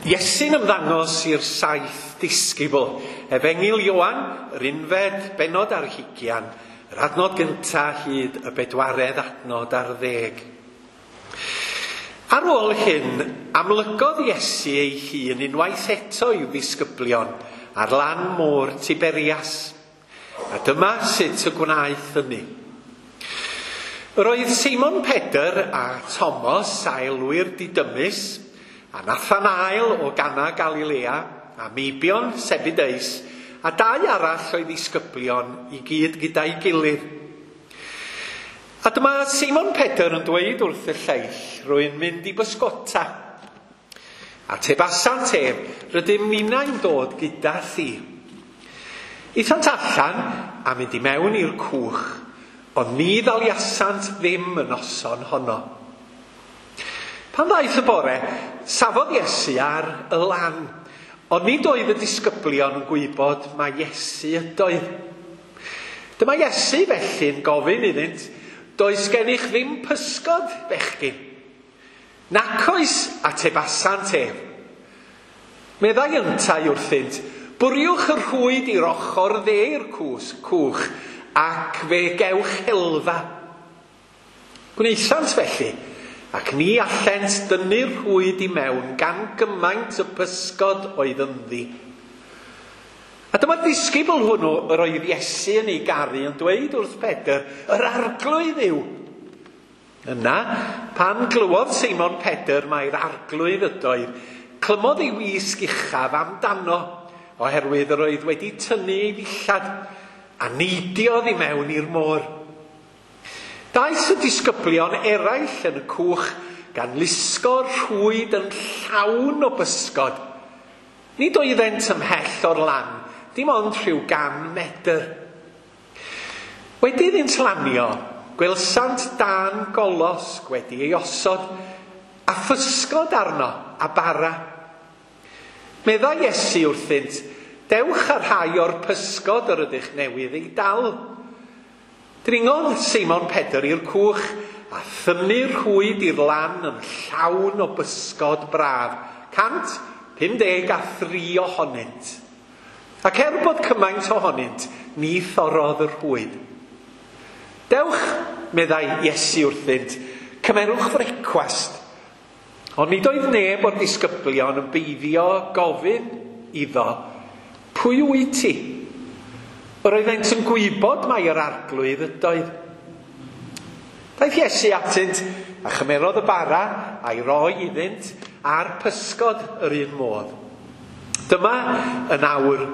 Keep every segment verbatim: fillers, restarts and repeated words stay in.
Iesu'n ymddangos i'r saith disgybl. Efengyl Ioan, yr unfed bennod ar hugian, yr adnod gyntaf hyd y bedwaredd adnod ar ddeg. Ar ôl hyn, amlygodd Iesu ei hun unwaith eto i'w ddisgyblion ar lan môr Tiberias. A dyma sut y gwnaeth hynny. Yr oedd Simon Pedr a Thomas, a elwir Didymus, a Nathanael o Gana Galilea, a Meibion Sebedeus, a dau arall o'i ddisgyblion i gyd gyda'i gilydd. A dyma Simon Pedr yn dweud wrth y lleill, rwy'n mynd i bysgota. A tebasant ef, rydym ninnau'n dod gyda thi. Aethant allan a mynd i mewn i'r cwch, ond ni ddaliasant ddim y noson honno. Pan ddaeth y bore, safodd Iesu ar y lan, ond nid oedd y disgyblion yn gwybod mai Iesu ydoedd. Dyma Iesu felly'n gofyn iddynt, does gennych ddim pysgod, bechgyn? Nac oes, atebasant ef. Meddai yntau wrthynt, bwriwch y rhwyd i'r ochr dde i'r cwch, ac fe gewch helfa. Gwnaethant felly, ac ni allent dynnu'r rhwyd i mewn gan gymaint y pysgod oedd ynddi. A dyma'r disgybl hwnnw yr oedd Iesu yn ei garu yn dweud wrth Pedr, yr arglwydd yw. Yna, pan glywodd Simon Pedr mai'r arglwydd ydoedd, clymodd ei wisg uchaf amdano, oherwydd yr oedd wedi tynnu ei ddillad, a neidiodd i mewn i'r môr. Daeth y disgyblion eraill yn y cwch gan lusgo'r rhwyd yn llawn o bysgod. Nid oeddent ymhell o'r lan, dim ond rhyw gan medr. Wedi iddynt lanio, gwelsant dan golosg wedi ei osod, a physgod arno a bara. Meddai Iesu wrthynt, dewch â rhai o'r pysgod yr ydych newydd ei dal. Dringodd Simon Pedr i'r cwch a thynnu'r rhwyd i'r lan yn llawn o bysgod braf, cant pum deg a thri ohonynt. Ac er bod cymaint ohonynt, ni thorrodd y rhwyd. Dewch, meddai Iesu wrthynt, cymerwch frecwast. Ond nid oedd neb o'r disgyblion yn beiddio gofyn iddo, pwy wyt ti? Yr oeddent yn gwybod mai yr arglwydd ydoedd. Daeth Iesu atynt a chymerodd y bara a'i roi iddynt a'r pysgod yr un modd. Dyma yn awr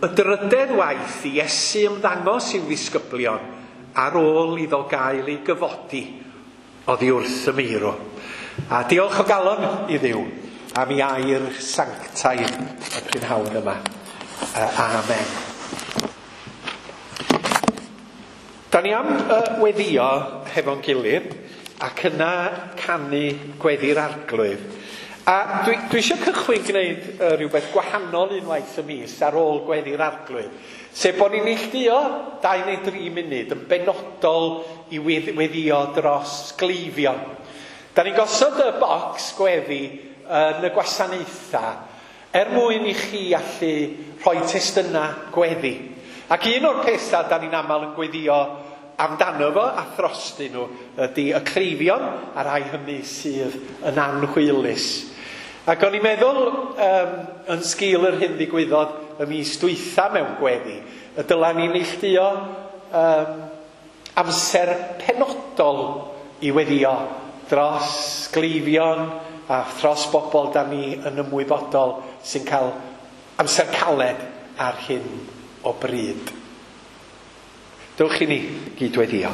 y drydedd waith i Iesu ymddangos i'w ddisgyblion ar ôl iddo gael ei gyfodi oddi wrth y meirw. A diolch o galon i Dduw am ei air sanctaidd y prynhawn yma. Amen. Da ni am uh, weddio hefo'n gilydd ac yna canu gweddi'r arglwydd. A dwi, dwi eisiau cychwyn gwneud uh, rhywbeth gwahanol unwaith y mis ar ôl gweddi'r arglwydd. Sef bod ni'n neilltuo dau neu dri munud yn benodol i weddio dros gleifion. Da ni'n gosod y bocs gweddi yn y gwasanaethau er mwyn i chi allu rhoi testunau gweddi. Ac un o'r pethau da ni'n aml yn gweddio amdano fo a throstyn nhw ydy y cleifion a rhai hynny sydd yn anhwylus. Ac o'n i'n meddwl um, yn sgil yr hyn ddigwyddodd y mis dwytha mewn gweddi, y dyla ni neilltuo um, amser penodol i weddio dros gleifion a thros bobl da ni yn ymwybodol sy'n cael amser caled ar hyn o bryd. Dewch i ni gydweddio.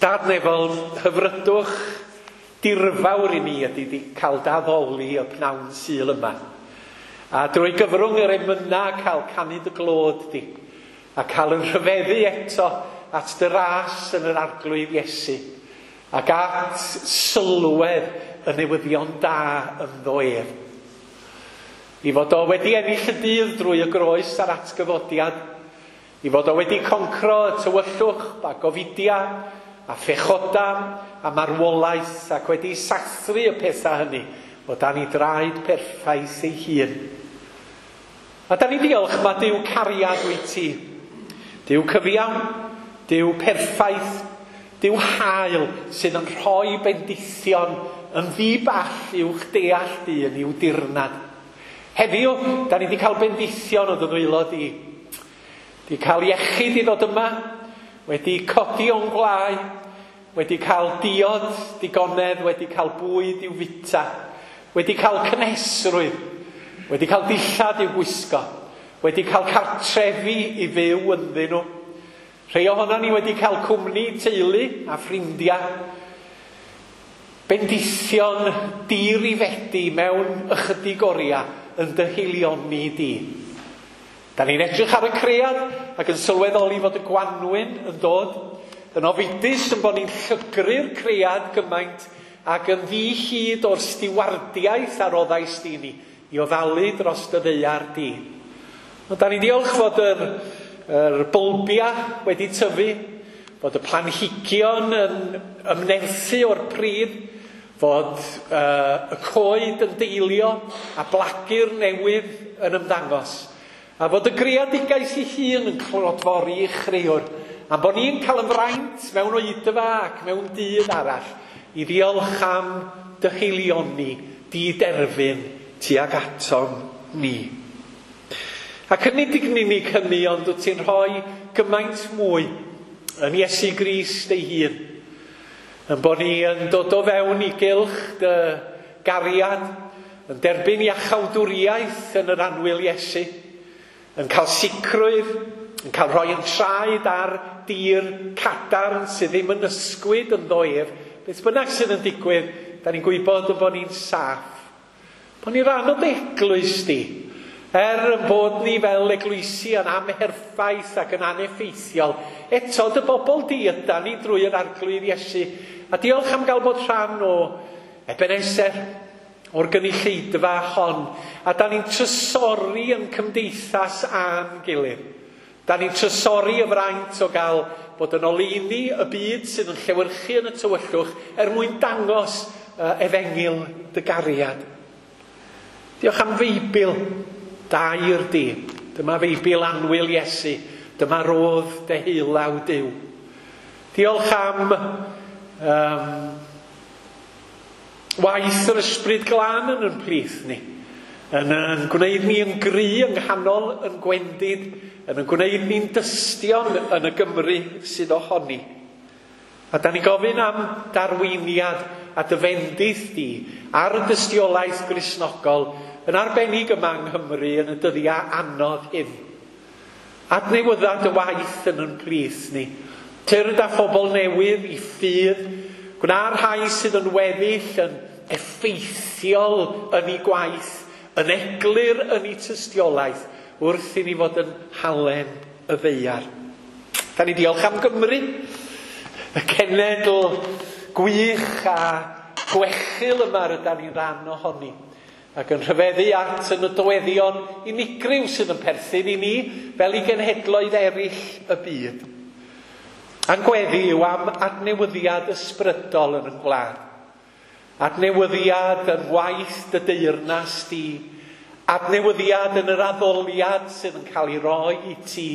Dad nefol, hyfrydwch dirfawr i ni ydy di cael daddoli y pnawn Sul yma. A drwy gyfrwng yr emyna cael canu dy glod di, a cael yn rhyfeddu eto at dy ras yn yr arglwydd Iesu, ac at sylwedd y newyddion da ynddo ef. I fod o wedi ennill y dydd drwy y groes a'r atgyfodiad, i fod o wedi concro y tywyllwch a gofidia a phechoda a marwolaeth ac wedi sathru y pethau hynny o dan ei draed perffaith ei hun. A da ni diolch mae Duw cariad wyt ti. Duw cyfiawn, Duw perffaith, Duw hael sydd yn rhoi bendithion yn ddi-ball i'wch deall dyn i'w dirnad. Heddiw, da ni wedi cael bendithion o dy ddwylo di. Di cael iechyd i ddod yma, wedi codi o'n gwlau, wedi cael diod digonedd, wedi cael bwyd i'w fita, wedi cael cynhesrwydd, wedi cael dillad i'w gwisgo, wedi cael cartrefi i fyw ynddyn nhw. Rhai ohonon ni wedi cael cwmni teulu a ffrindiau. Bendithion dirifedi mewn ychydig oriau yn dy heilioni di. Da ni'n edrych ar y cread ac yn sylweddoli fod y gwanwyn yn dod, yn ofidus yn bod ni'n llygru'r cread gymaint ac yn ddi-hid o'r stiwardiaeth a roddais di ni i ofalu dros dy ddaear di. Ond da ni'n diolch fod yr, yr bylbia wedi tyfu, fod y planhigion yn ymnerthu o'r pridd, fod uh, y coed yn deilio a blagur newydd yn ymddangos. A fod y greadigaeth ei hun yn clodfori i chreuwr. A bod ni'n cael yn fraint mewn oedfa ac mewn dydd arall i ddiolch am dy heilioni, di derfyn tuag atom ni. Ac yn nid unig hynny, ond wyt ti'n rhoi gymaint mwy yn Iesu Grist ei hun. Yn bod ni yn dod o fewn i gylch dy gariad, yn derbyn iachawdwriaeth yn yr annwyl Iesu, yn cael sicrwydd, yn cael rhoi yn traed ar dir cadarn sydd ddim yn ysgwyd ynddo ef. Beth bynnag sydd yn digwydd, da ni'n gwybod yn bod ni'n saff. Bod ni'n rhan o dy eglwys di. Er yn bod ni fel eglwysi yn amherffaith ac yn aneffeithiol, eto dy bobl di yda ni drwy yr Arglwydd Iesu. A diolch am gael bod rhan o Ebenezer, o'r gynulleidfa hon. A da ni'n trysori yn cymdeithas a'n gilydd. Da ni'n trysori y fraint o gael bod yn oleuni y byd sydd yn llewyrchu yn y tywyllwch er mwyn dangos uh, efengyl dy gariad. Diolch am Feibl, dair di. Dyma Feibl annwyl Iesu. Dyma rodd deheulaw Duw. Diolch am um, waith yr Ysbryd Glân yn yn plith ni. Yn, yn gwneud ni yn gry yng nghanol yn gwendid, yn yn gwneud ni'n dystion yn y Gymru sydd ohoni. A da ni gofyn am darweiniad a dy fendith di ar y dystiolaeth Gristnogol yn arbennig yma yng Nghymru yn y dyddiau anodd hyn. Adnewydda dy waith yn yn plith ni. Tyrd â phobl newydd i ffydd, gwna'r rhai sydd yn weddill yn effeithiol yn ei gwaith, yn eglur yn ei tystiolaeth, wrth i ni fod yn halen y ddaear. Da ni diolch am Gymru, y cenedl gwych a gwechil yma rydan ni'n rhan ohoni, ac yn rhyfeddu at y nodweddion unigryw sydd yn perthyn i ni fel i genhedloedd eraill y byd. A'n gweddi yw am adnewyddiad ysbrydol yn y gwlad. Adnewyddiad yn waith dy deyrnas di. Adnewyddiad yn yr addoliad sydd yn cael ei roi i ti.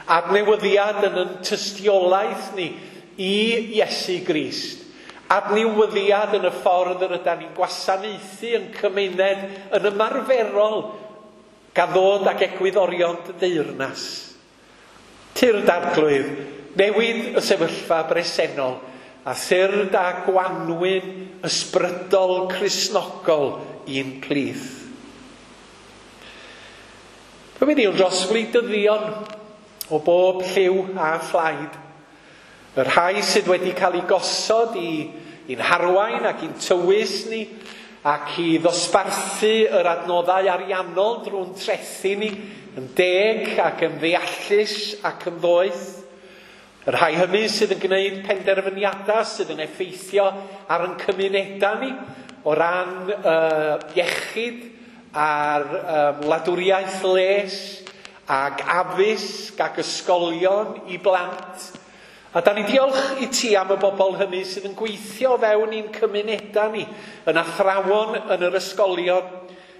Adnewyddiad yn yn tystiolaeth ni i Iesu Grist. Adnewyddiad yn y ffordd yr ydan ni'n gwasanaethu yn cymuned yn ymarferol gan ddod ag egwyddorion dy deyrnas. Tyrd Arglwydd, newid y sefyllfa bresennol a thyrd a gwanwyn ysbrydol Cristnogol i'n plith. Fe mynd i'n dros wleidyddion o bob lliw a phlaid. Y rhai sydd wedi cael ei gosod i, i'n harwain ac i'n tywys ni ac i ddosbarthu yr adnoddau ariannol drwy'n trethu ni yn deg ac yn ddeallus ac yn ddoeth. Y rhai hynny sydd yn gwneud penderfyniadau sydd yn effeithio ar ein cymunedau ni o ran uh, iechyd a'r um, wladwriaeth les ac addysg ac ysgolion i blant A da ni'n diolch i ti am y bobl hynny sydd yn gweithio fewn i'n cymunedau ni, yn athrawon yn yr ysgolion,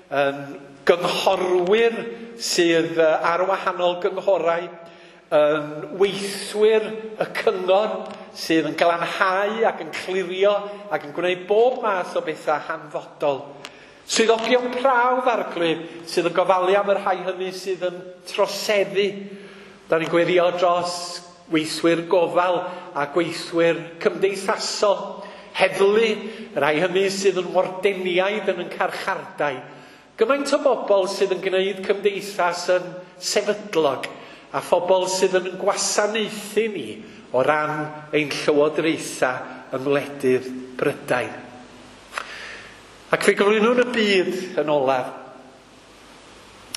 yn gynghorwyr sydd ar wahanol gynghorau, yn weithwyr y cyngor sydd yn glanhau ac yn clirio ac yn gwneud bob math o bethau hanfodol. Swyddogion prawf, Arglwydd, sydd yn gofalu am y rhai hynny sydd yn troseddu. Da ni'n gweddio dros weithwyr gofal a gweithwyr cymdeithasol, heddlu, y rhai hynny sydd yn wardeniaid yn yn carchardai. Gymaint o bobl sydd yn gwneud cymdeithas yn sefydlog a phobl sydd yn gwasanaethu ni o ran ein llywodraethau yng ngwledydd Prydain. Ac fe gyflwynwn y byd yn olaf.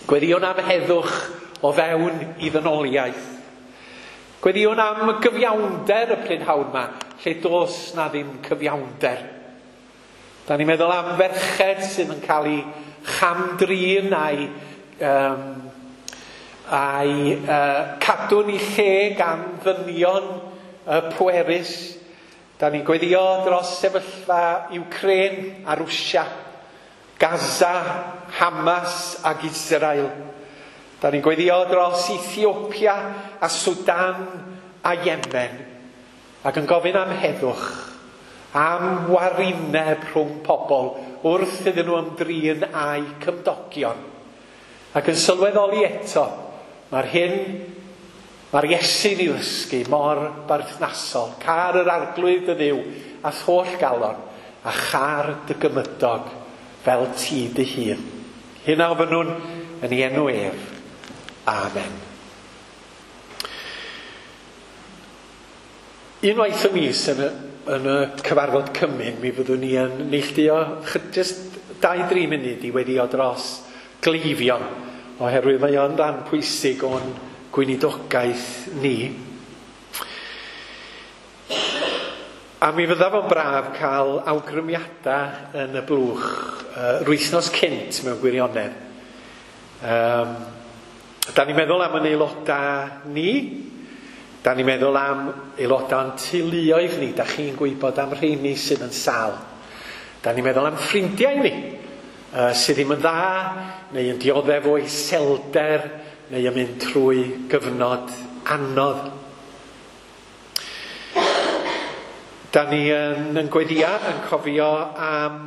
Gweddïwn am heddwch o fewn i ddynoliaeth. Gweddïwn am gyfiawnder y prynhawn yma, lle does na ddim cyfiawnder. Da ni'n meddwl am ferched sydd yn cael ei chamdrin a'i, um, a'i uh, cadw'n ei lle gan ddynion uh, pwerus. Da ni'n gweddio dros sefyllfa Ukraine a Rwsia, Gaza, Hamas ac Israel. Da ni'n gweddio dros Ethiopia a Sudan a Yemen, ac yn gofyn am heddwch, am warineb rhwng pobl wrth iddyn nhw ymdrin â'u cymdogion. Ac yn sylweddoli eto, mae'r hyn, mae'r Iesu'n ei ddysgu mor berthnasol. Car yr Arglwydd dy Dduw a'th holl galon, a char dy gymydog fel ti dy hun. Hyn a ofynnwn yn ei enw ef. Amen. Unwaith y mis yn y, yn y cyfarfod cymun, mi fyddwn ni yn neilltuo just dau dri munud i weddio dros gleifion, oherwydd mae o'n rhan pwysig o'n gweinidogaeth ni. A mi fydda fo'n braf cael awgrymiadau yn y blwch uh, yr wythnos cynt mewn gwirionedd. Um, da ni'n meddwl am yn aelodau ni, da ni'n meddwl am aelodau'n teuluoedd ni, da chi'n gwybod am rheini sydd yn sâl. Da ni'n meddwl am ffrindiau ni, uh, sydd ddim yn dda, neu yn dioddef o iselder, neu yn mynd trwy gyfnod anodd. Da ni yn, yn gweddia yn cofio am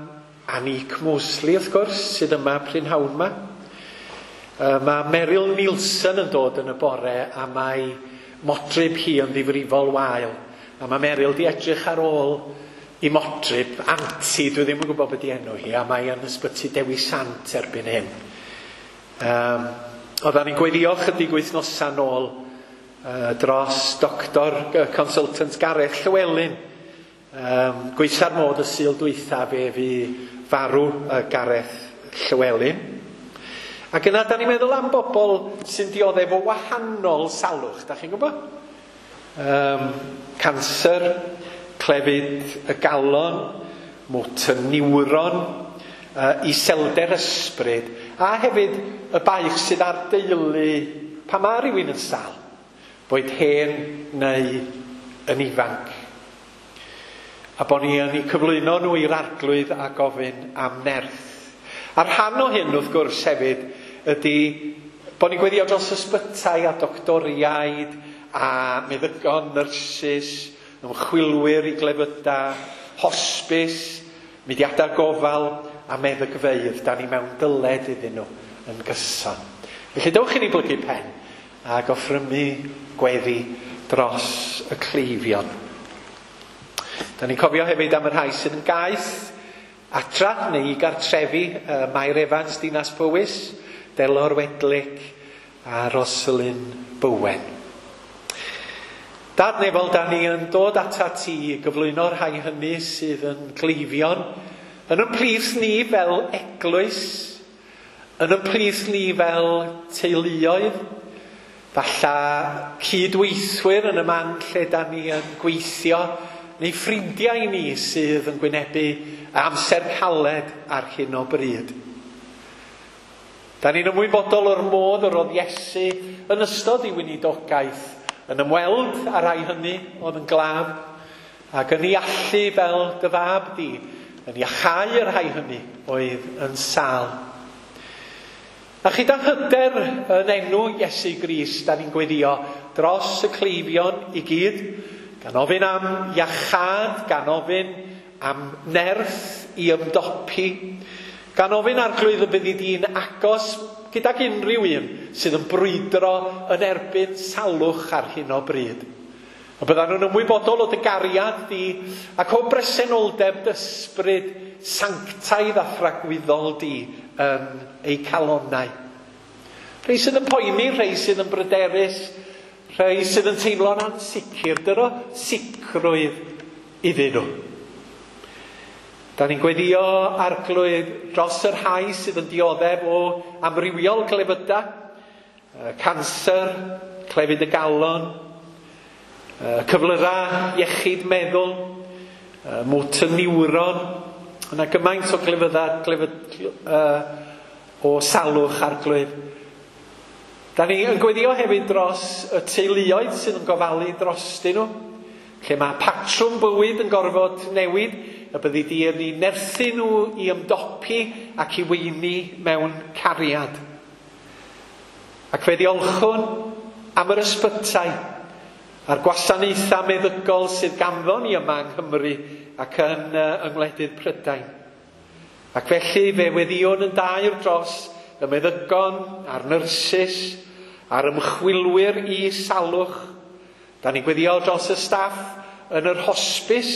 Annick Mosley, wrth gwrs, sydd yma prynhawn yma. Uh, mae Meryl Nielsen yn dod yn y bore a mae modryb hi yn ddifrifol wael. A mae Meryl di edrych ar ôl i modryb, anti, dwi ddim yn gwybod beth di enw hi, a mae yn ysbyty Dewi Sant erbyn hyn. Um, Oedden ni'n gweddio chydig wythnosau nôl uh, dros doctor uh, consultant Gareth Llywelyn. Um, gweitha'r modd y Sul dwytha fe fu farw uh, Gareth Llywelyn. Ac yna, da ni'n meddwl am bobl sy'n dioddef o wahanol salwch, da chi'n gwybod? Um, canser, clefyd y galon, motor neuron, uh, iselder ysbryd, a hefyd y baich sydd ar deulu pan mae rhywun yn sâl, boed hen neu yn ifanc. A bod ni yn eu cyflwyno nhw i'r Arglwydd a gofyn am nerth. A rhan o hyn, wrth gwrs, hefyd, ydy bod ni'n gweddio dros ysbytai a doctoriaid a meddygon, nyrsys, ymchwilwyr i glefydau, hosbis, mudiadau gofal a meddygfeydd. Da ni mewn dyled iddyn nhw yn gyson. Felly dewch i ni blygu pen ac offrymu gweddi dros y cleifion. Da ni'n cofio hefyd am y rhai sydd yn gaeth adra neu i gartrefi, uh, Mair Evans, Dinas Powys, Delor Wedlick a Rosalind Bowen. Dad nefol, da ni yn dod ata ti i gyflwyno'r rhai hynny sydd yn gleifion, yn yn plith ni fel eglwys, yn yn plith ni fel teuluoedd, falla cydweithwyr yn y man lle da ni yn gweithio, neu ffrindiau ni sydd yn gwynebu amser caled ar hyn o bryd. Da ni'n ymwybodol o'r modd yr oedd Iesu yn ystod ei weinidogaeth yn ymweld â rhai hynny oedd yn glaf, ac yn ei allu fel dy fab di, yn iachau y rhai hynny oedd yn sâl. A chyda hyder yn enw Iesu Grist, da ni'n gweddio dros y cleifion i gyd, gan ofyn am iachâd, gan ofyn am nerth i ymdopi, gan ofyn Arglwydd y byddi di'n agos gydag unrhyw un sydd yn brwydro yn erbyn salwch ar hyn o bryd. A byddan nhw'n ymwybodol o dy gariad di ac o bresenoldeb dy ysbryd sanctaidd a thragwyddol di yn eu calonnau. Rhai sydd yn poeni, rhai sydd yn bryderus, rhai sydd yn teimlo'n ansicr, dyro sicrwydd iddyn nhw. Da ni'n gweddio Arglwydd dros y rhai sydd yn dioddef o amrywiol clefydau, canser, clefyd y galon, cyflyrau iechyd meddwl, motor neuron, yna gymaint o glefydau, glefyd, uh, o salwch Arglwydd. Da ni yn gweddio hefyd dros y teuluoedd sydd yn gofalu drostyn nhw, lle mae patrwm bywyd yn gorfod newid, y byddi di yn ei nerthu nhw i ymdopi ac i weini mewn cariad. Ac fe ddiolchwn am yr ysbytai a'r gwasanaethau meddygol sydd ganddo ni yma yng Nghymru ac yn uh, yng ngwledydd Prydain. Ac felly fe weddïwn yn daer dros y meddygon a'r nyrsys a'r ymchwilwyr i salwch. Da ni'n gweddio dros y staff yn yr hosbis.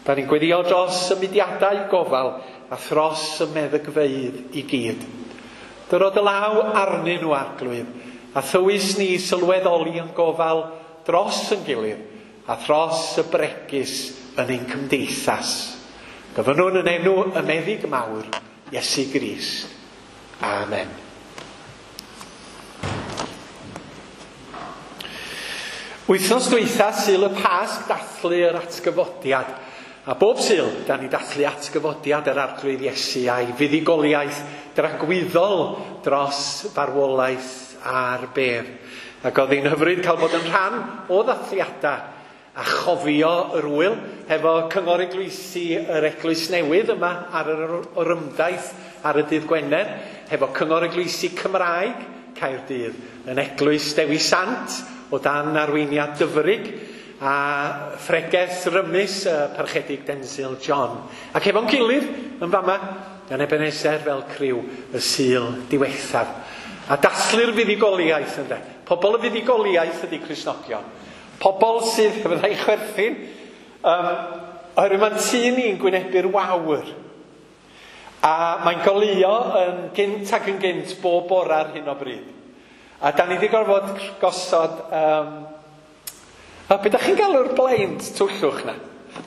Da ni'n gweddio dros y mudiadau gofal a thros y meddygfeydd i gyd. Dyro dy law arnyn nhw, Arglwydd, a thywys ni sylweddoli yn gofal dros yn gilydd a thros y bregus yn ein cymdeithas. Gofynnwn yn enw y meddyg mawr, Iesu Grist. Amen. Wythnos dwytha, Sul y Pasg, dathlu yr atgyfodiad. A bob Sul, da ni dathlu atgyfodiad yr Arglwydd Iesu a'i fuddugoliaeth dragwyddol dros farwolaeth a'r bedd. Ac oedd hi'n hyfryd cael bod yn rhan o ddathliadau a chofio yr wyl hefo Cyngor Eglwysi yr Eglwys Newydd yma ar yr orymdaith ar y dydd Gwener, hefo Cyngor Eglwysi Cymraeg Caerdydd yn Eglwys Dewi Sant o dan arweiniad Dyfrig a phregeth rymus y Parchedig Denzil John. Ac efo'n gilydd yn fama yn Ebenezer fel criw y Sul diwethaf. A dathlu'r fuddugoliaeth ynde. Pobl y fuddugoliaeth ydy Cristnogion. Pobl sydd, fyddai chwerthin, um, oherwydd mae'n tŷ ni'n gwynebu'r wawr. A mae'n goleuo yn gynt ac yn gynt bob bore ar hyn o bryd. A da ni wedi gorfod gosod, um, a be da chi'n galw'r blind twllwch na?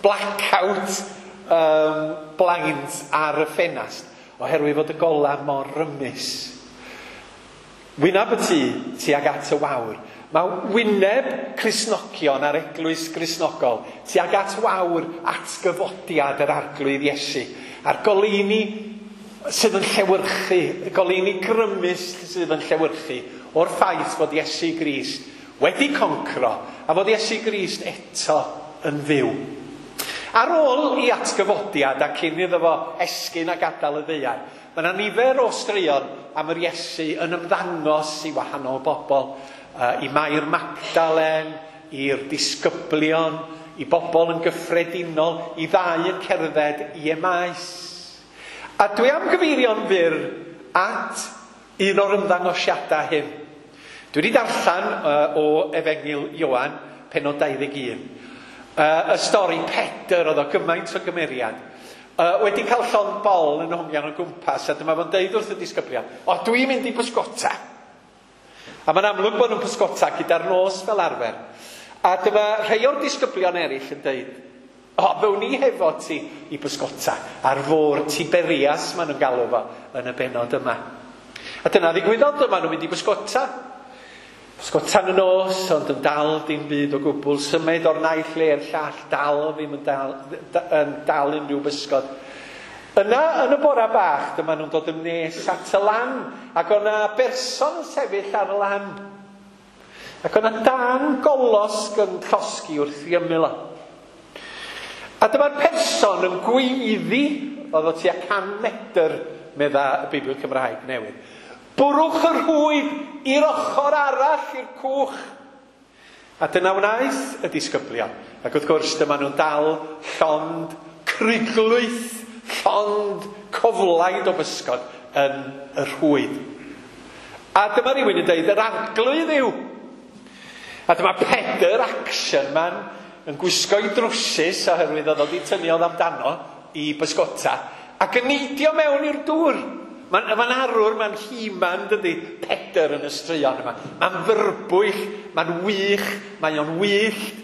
Blackout um, blinds ar y ffenast, oherwydd fod y gola mor rymus. Wyneb y tŷ tuag at y wawr. Mae wyneb Cristnogion a'r Eglwys Gristnogol tuag at wawr atgyfodiad yr Arglwydd Iesu. A'r goleuni sydd yn llewyrchu, y goleuni grymus sydd yn llewyrchu o'r ffaith fod Iesu Grist wedi concro a fod Iesu Grist eto yn fyw. Ar ôl i atgyfodiad a cyn iddo fo esgyn a gadael y ddaear, mae yna nifer o straeon am yr Iesu yn ymddangos i wahanol bobl, uh, i Mair Magdalen, i'r disgyblion, i bobl yn gyffredinol, i ddau yn cerdded i Emaus. A dwi am gyfeirio'n fyr at un o'r ymddangosiadau hyn. Dwi wedi darllen uh, o Efengyl Ioan, pennod dau ddeg un. Uh, y stori Pedr oedd o gymaint o gymeriad. Uh, wedi cael llond bol yn hongian o gwmpas, a dyma fo'n deud wrth y disgyblion, o, dwi'n mynd i bysgota. A mae'n amlwg bod nhw'n pysgota gyda'r nos fel arfer. A dyma rhai o'r disgyblion eraill yn deud, o, fewn ni hefo ti i bysgota ar fôr Tiberias, maen nhw'n galw fo yn y bennod yma. A dyna ddigwyddodd, dyma nhw'n mynd i bysgota. Pysgota yn y nos, ond yn dal dim byd o gwbl, symud o'r naill le i'r llall, dal ddim yn dal, yn dal unrhyw bysgod. Yna, yn y bora bach, dyma nhw'n dod yn nes at y lan, ac o'na berson yn sefyll ar y lan. Ac oedd yna dan golosg yn llosgi wrth i ymyl o. A dyma'r person yn gweiddi, oedd o tua can medr, medda y Beibl Cymraeg newydd. Bwrwch y rhwyd i'r ochr arall i'r cwch. A dyna wnaeth y disgyblion. Ac wrth gwrs dyma nhw'n dal llond cruglwyth, llond coflaid o bysgod yn y rhwyd. A dyma rhywun yn dweud, yr arglwydd yw. A dyma Pedr, action man, yn gwisgo'i drwsus oherwydd oedd o wedi tynnu oedd amdano i bysgota, ac yn neidio mewn i'r dŵr. Mae'n ma arwr, mae'n he-man, dydy, Pedr yn y straeon yma. Mae'n fyrbwyll, mae'n wych, mae o'n wyllt,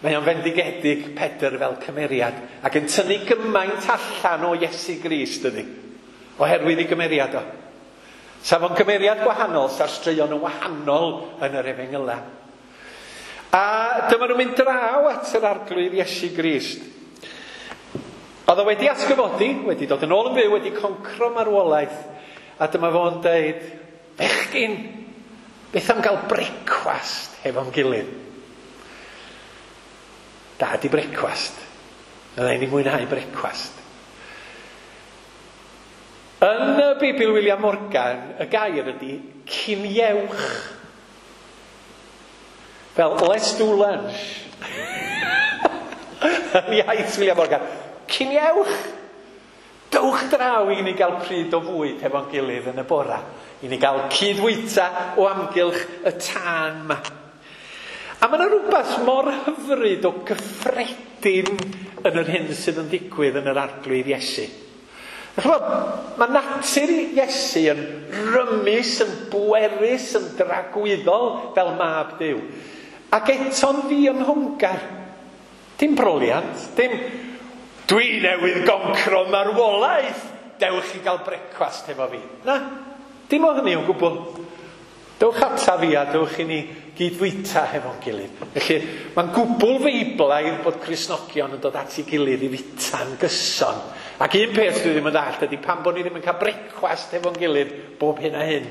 mae o'n fendigedig Pedr fel cymeriad, ac yn tynnu gymaint allan o Iesu Grist, dydy, oherwydd ei gymeriad o. Sa fo'n gymeriad gwahanol, sa'r straeon yn wahanol yn yr efengyla. A dyma nhw'n mynd draw at yr arglwydd Iesu Grist. Oedd o wedi atgyfodi, wedi dod yn ôl yn fyw, wedi concro marwolaeth. A dyma fo'n deud, bechgyn, beth am gael brecwast hefo'n gilydd? Da di brecwast. Fydda i'n mwynhau brecwast. Yn y Beibl William Morgan, y gair ydy ciniewch. Fel, let's do lunch. Yn iaith William Morgan. Ciniewch! Dowch draw i ni gael pryd o fwyd hefo'n gilydd yn y bora. I ni gael cydfwyta o amgylch y tân yma. A mae yna rhywbeth mor hyfryd o gyffredin yn yr hyn sydd yn digwydd yn yr arglwydd Iesu. Ch'mod, mae natur Iesu yn rymus, yn bwerus, yn dragwyddol fel mab Duw. Ac eto'n ddiymhongar. Dim broliant, dim dwi newydd goncro marwolaeth, dewch i gael brecwast hefo fi. Na, dim o hynny o gwbl. Dewch ata fi a dewch i ni gydfwyta hefo'n gilydd. Felly, mae'n gwbl feiblaidd bod Cristnogion yn dod at ei gilydd i fwyta'n gyson. Ac un peth dwi ddim yn ddallt ydy pam bod ni ddim yn cael brecwast hefo'n gilydd bob hyn a hyn.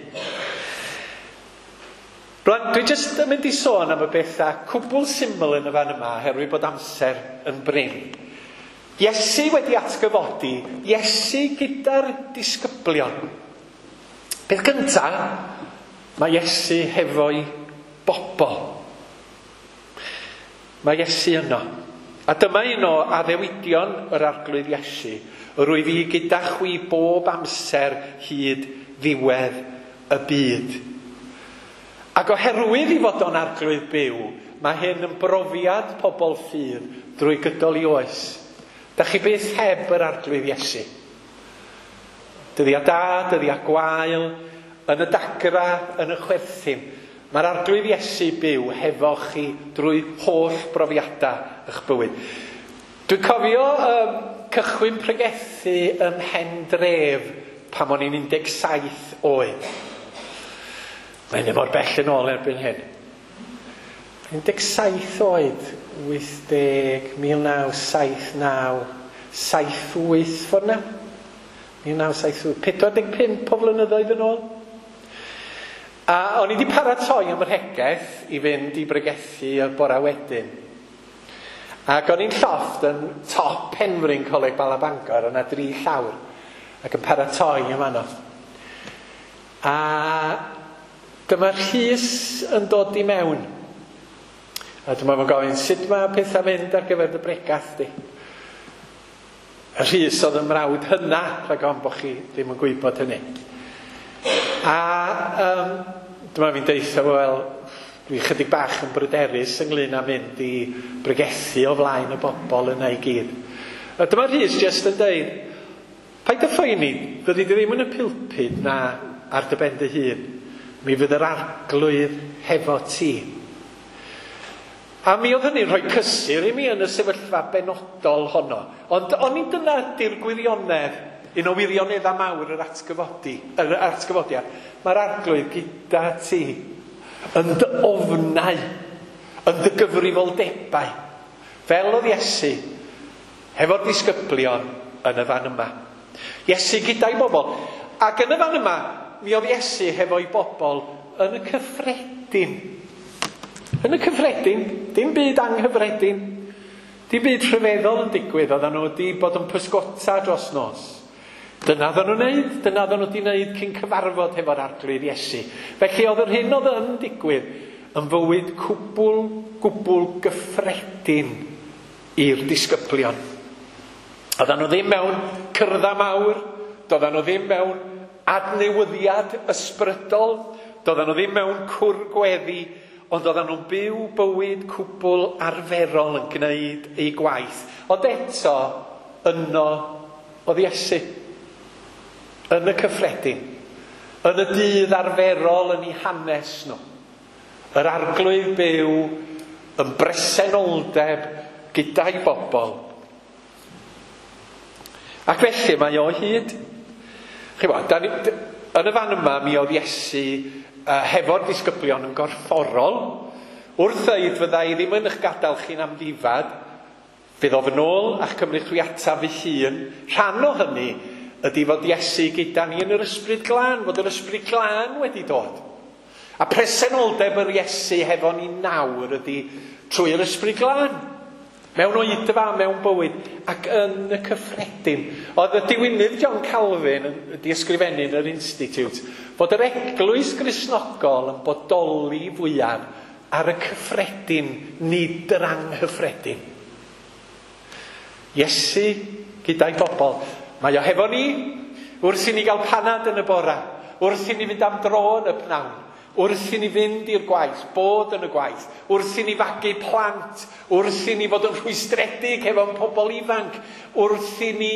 Rwan, dwi jyst yn mynd i sôn am y bethau cwbl syml yn y fan yma, oherwydd bod amser yn brin. Iesu wedi atgyfodi, Iesu gyda'r disgyblion. Peth gyntaf, mae Iesu hefo'i bobl. Mae Iesu yno. A dyma un o addewidion yr arglwydd Iesu. Rwyf i gyda chwi bob amser hyd ddiwedd y byd. Ac oherwydd i fod o'n arglwydd byw, mae hyn yn brofiad pobl ffydd drwy gydol i oes. Da chi byth heb yr arglwydd Iesu. Dyddiau da, dyddiau gwael, yn y dagra, yn y chwerthin. Mae'r arglwydd Iesu byw hefo chi drwy holl brofiadau eich bywyd. Dwi'n cofio um, cychwyn pregethu ym Mhendref pan o'n i'n un deg saith oed. Mae'n ddim mor bell yn ôl erbyn hyn. un deg saith oed, wyth deg, mil naw saith naw, saith wyth ffordd na. mil naw saith wyth, pedwar deg pump o flynyddoedd yn ôl. A o'n i wedi paratoi am yr hegeth i fynd i bregethu y bora wedyn. Ac o'n i'n llofft yn top Penrhyn Coleg Bala Bangor, yna dri llawr, ac yn paratoi am anno. A dyma Rhys yn dod i mewn. A dyma fo'n gofyn, sut mae pethau mynd ar gyfer dy bregath di? A Rhys oedd yn mrawd hynna, rhag ofn bod chi ddim yn gwybod hynny. A um, dyma fi'n deutha fo, wel, dwi chydig bach yn bryderus ynglyn â mynd i bregethu o flaen y bobl yna i gyd. A dyma Rhys jyst yn deud, paid â phoeni, fyddi di ddim yn y pulpud na ar dy ben dy hun. Mi fydd yr arglwydd hefo ti. A mi oedd hynny'n rhoi cysur i mi yn y sefyllfa benodol honno. Ond o'n i dyna ydy'r gwirionedd, un o wirioneddau mawr yr atgyfodi, yr atgyfodiad. Mae'r arglwydd gyda ti, yn dy ofnau, yn dy gyfrifoldebau, fel oedd Iesu, hefo'r disgyblion yn y fan yma. Iesu gyda'i bobl. Ac yn y fan yma, mi oedd Iesu hefo'i bobl yn y cyffredin. Yn y cyffredin, dim byd anghyffredin, dim byd rhyfeddol yn digwydd, oedden nhw wedi bod yn pysgota dros nos. Dyna oedden nhw'n neud, dyna oedden nhw wedi neud cyn cyfarfod hefo'r Arglwydd Iesu. Felly oedd yr hyn oedd yn digwydd yn fywyd cwbl, gwbl gyffredin i'r disgyblion. Oedden nhw ddim mewn cyrdda mawr, doedden nhw ddim mewn adnewyddiad ysbrydol, doedden nhw ddim mewn cwr gweddi, ond oedden nhw'n byw bywyd cwbl arferol yn gwneud eu gwaith. Ond eto, yno oedd Iesu, yn y cyffredin, yn y dydd arferol yn eu hanes nhw. Yr Arglwydd byw yn bresenoldeb gyda'i bobl. Ac felly mae o hyd. Chi'mod, da ni, yn y fan yma mi oedd Iesu uh, hefo'r disgyblion yn gorfforol. Wrth ddeud fydda i ddim yn eich gadael chi'n amddifad, fydd o fy nôl a'ch cymryd chwi ataf fy hun. Rhan o hynny ydy fod Iesu gyda ni yn yr Ysbryd Glân, fod yr Ysbryd Glân wedi dod. A presenoldeb yr Iesu hefo ni nawr ydy trwy'r Ysbryd Glân. Mewn oedfa, mewn bywyd, ac yn y cyffredin. Oedd y diwinydd John Calvin wedi ysgrifennu yn yr Institute fod yr eglwys Gristnogol yn bodoli fwyaf ar y cyffredin, nid yr anghyffredin. Iesu gyda'i bobl. Mae o hefo ni wrth i ni gael panad yn y bora, wrth i ni fynd am dro yn y pnawn, wrth i ni fynd i'r gwaith, bod yn y gwaith, wrth i ni fagu plant, wrth i ni fod yn rhwystredig hefo'n pobl ifanc, wrth i ni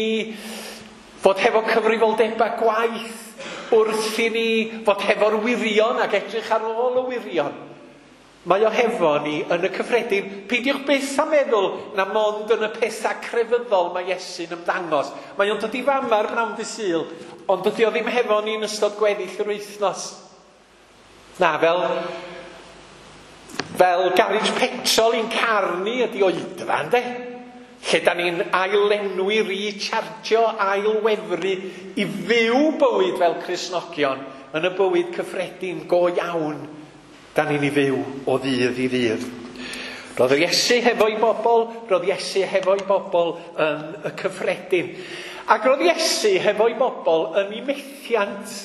fod hefo cyfrifoldebau gwaith, wrth i ni fod hefo'r wirion ac edrych ar ôl y wirion. Mae o hefo ni yn y cyffredin. Peidiwch byth â meddwl na mond yn y pethau crefyddol mae Iesu'n ymddangos. Mae o'n dod i fama ar bnawn dydd Sul, ond dydy o ddim hefo ni yn ystod gweddill yr wythnos. Na, fel, fel garej petrol i'n car ni ydi oedfa, ynde? Lle da ni'n ailenwi, rechargio, ailwefru i fyw bywyd fel Cristnogion yn y bywyd cyffredin go iawn da ni'n ei fyw o ddydd i ddydd. Roedd yr Iesu hefo'i bobl, roedd Iesu hefo'i bobl yn y cyffredin. Ac roedd Iesu hefo'i bobl yn ei methiant.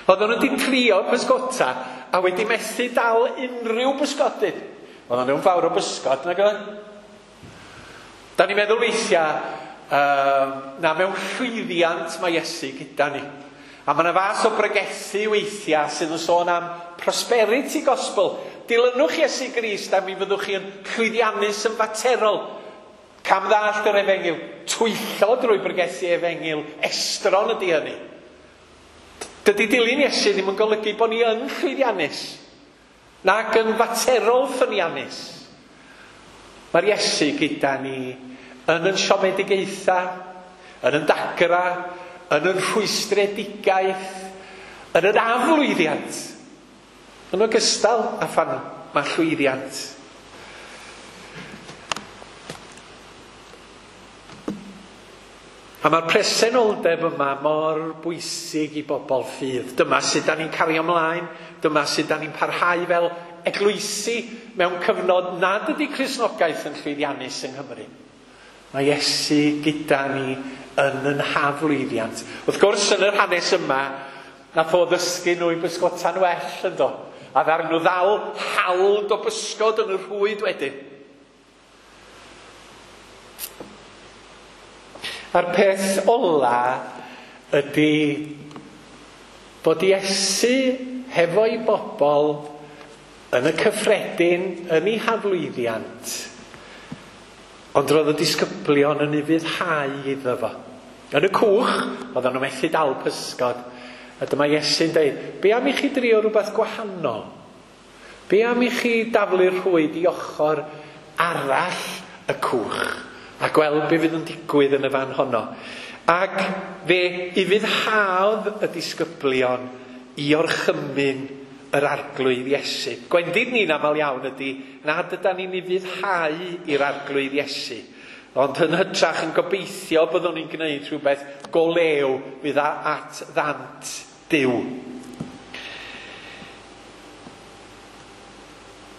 Oedden nhw wedi trio pysgota a wedi methu dal unrhyw bysgodyn. Oedden nhw'n fawr o bysgod, nag oedd? Da ni'n meddwl weithiau uh, na mewn llwyddiant mae Iesu gyda ni. A mae yna fas o bregethu weithiau sydd yn sôn am prosperity gospel. Dilynwch Iesu Grist a mi fyddwch chi yn llwyddiannus yn faterol. Cam ddallt yr efengyl, twyllo drwy bregethu efengyl, estron ydy hynny. Dydy dilyn Iesu ddim yn golygu bod ni yn llwyddiannus, nac yn faterol ffyniannus. Mae'r Iesu gyda ni yn yn siomedigaetha, yn yn dagra, yn yn rhwystredigaeth, yn yn aflwyddiant. Yn ogystal â phan mae llwyddiant. A mae'r presenoldeb yma mor bwysig i bobl ffydd. Dyma sut da ni'n cario ymlaen, dyma sut da ni'n parhau fel eglwysi mewn cyfnod nad ydy Cristnogaeth yn llwyddiannus yng Nghymru. Mae Iesu gyda ni yn yn haflwyddiant. Wrth gwrs, yn yr hanes yma, nath o ddysgu nhw i bysgota'n well, yndo? A ddaru nhw ddal hawld o bysgod yn y rhwyd wedyn. A'r peth ola ydy bod Iesu hefo'i bobl yn y cyffredin, yn ei haflwyddiant, ond roedd y disgyblion yn ufuddhau iddo fo. Yn y cwch, oedden nhw methu dal pysgod, a dyma Iesu'n dweud, be am i chi drio rhywbeth gwahanol? Be am i chi daflu'r rhwyd i ochr arall y cwch? A gweld be fydd yn digwydd yn y fan honno. Ac fe ufuddhaodd y disgyblion i orchymyn yr Arglwydd Iesu. Gwendid ni'n aml iawn ydy nad ydan ni'n ufuddhau i'r Arglwydd Iesu, ond yn hytrach yn gobeithio byddwn ni'n gwneud rhywbeth go lew fydd at ddant Duw.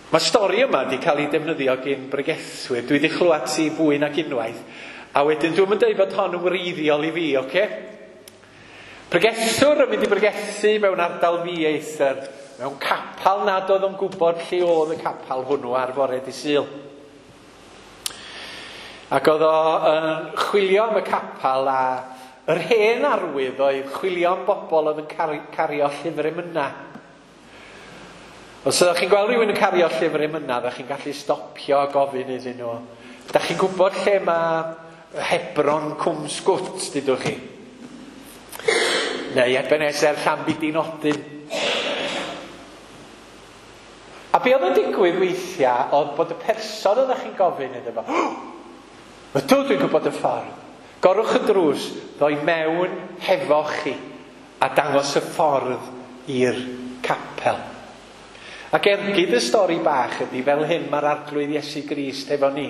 Mae stori yma wedi cael ei defnyddio gyn bregethwyr. Dwi wedi chlywed ti fwy nag unwaith. A wedyn dwi'm yn dweud bod hon yn wreiddiol i fi, oce? Pregethwr yn mynd i bregethu mewn ardal ddieithr, mewn capal nad oedd o'n gwybod lle oedd y capal hwnnw ar fore dydd Sul. Ac oedd o yn chwilio am y capal, a yr hen arwydd oedd chwilio am bobl oedd yn cario llyfr emyna. Os ydych chi'n gweld rhywun yn cario llyfr emyna, ydych chi'n gallu stopio a gofyn iddyn nhw. Ydych chi'n gwybod lle mae Hebron Cwm Sgwt, dydwch chi? Neu Ebenezer Llanbidinodyn. A be oedd yn digwydd weithiau oedd bod y person ydych chi'n gofyn iddo fo, ydw, dwi'n gwybod y ffordd. Gorwch y drws, ddoi mewn hefo chi a dangos y ffordd i'r capel. Ac ergyd y stori bach ydy fel hyn mae'r Arglwydd Iesu Grist efo ni.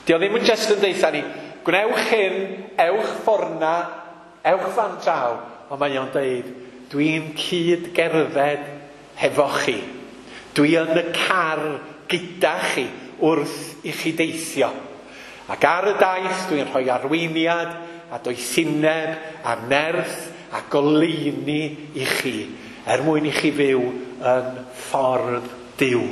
Di o ddim yn just yn deutha ni, gwnewch hyn, ewch fforna, ewch fan draw, ond mae o'n deud, dwi'n cyd gerdded hefo chi. Dwi yn y car gyda chi wrth i chi deithio. Ac ar y daith dwi'n rhoi arweiniad a doethineb a nerth a goleuni i chi, er mwyn i chi fyw yn ffordd Duw.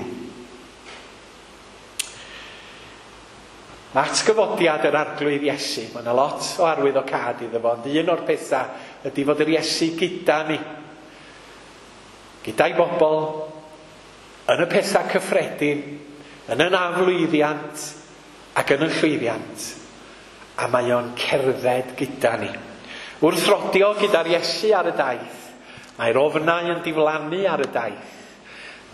Mae atgyfodiad yr Arglwydd Iesu, mae yna lot o arwyddocâd iddo fo, ond un o'r pethau ydy fod yr Iesu gyda ni. Gyda'i bobl, yn y pethau cyffredin, yn yn aflwyddiant ac yn y llwyddiant. A mae o'n cerdded gyda ni. Wrth rodio gyda'r Iesu ar y daith, mae'r ofnau yn diflannu ar y daith.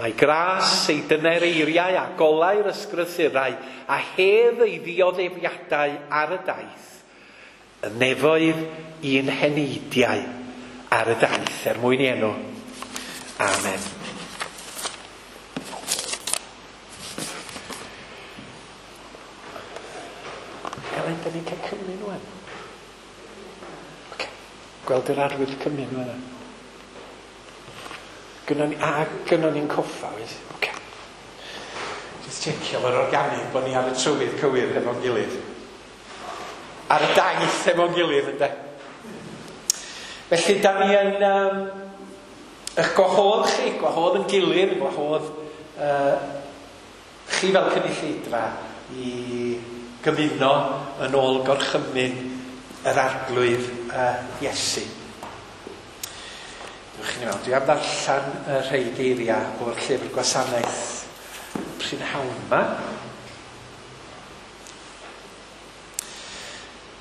Mae gras ei dyner eiriau a golau'r ysgrythurau a hedd ei ddioddefiadau ar y daith. Y nefoedd i'n heneidiau ar y daith, er mwyn i enw. Amen. Elen, da ni'n cael cymryd nhw? Okay. Gweld yr arwydd cymryd nhw yna. Gynnon ni, a gynnon ni'n coffa, oes? Okay. Just checio fo'r organig bod ni ar y trywydd cywir hefo'n gilydd. Ar y daith hefo'n gilydd, ynde? Felly, da ni yn um, eich gwahodd chi, gwahodd yn gilydd, gwahodd uh, chi fel cynulleidfa i gymuno yn ôl gorchymyn yr Arglwydd uh, Iesu. Dewch i ni mewn. Dwi am ddarllen y rhai geiriau o'r llyfr gwasanaeth prynhawn yma.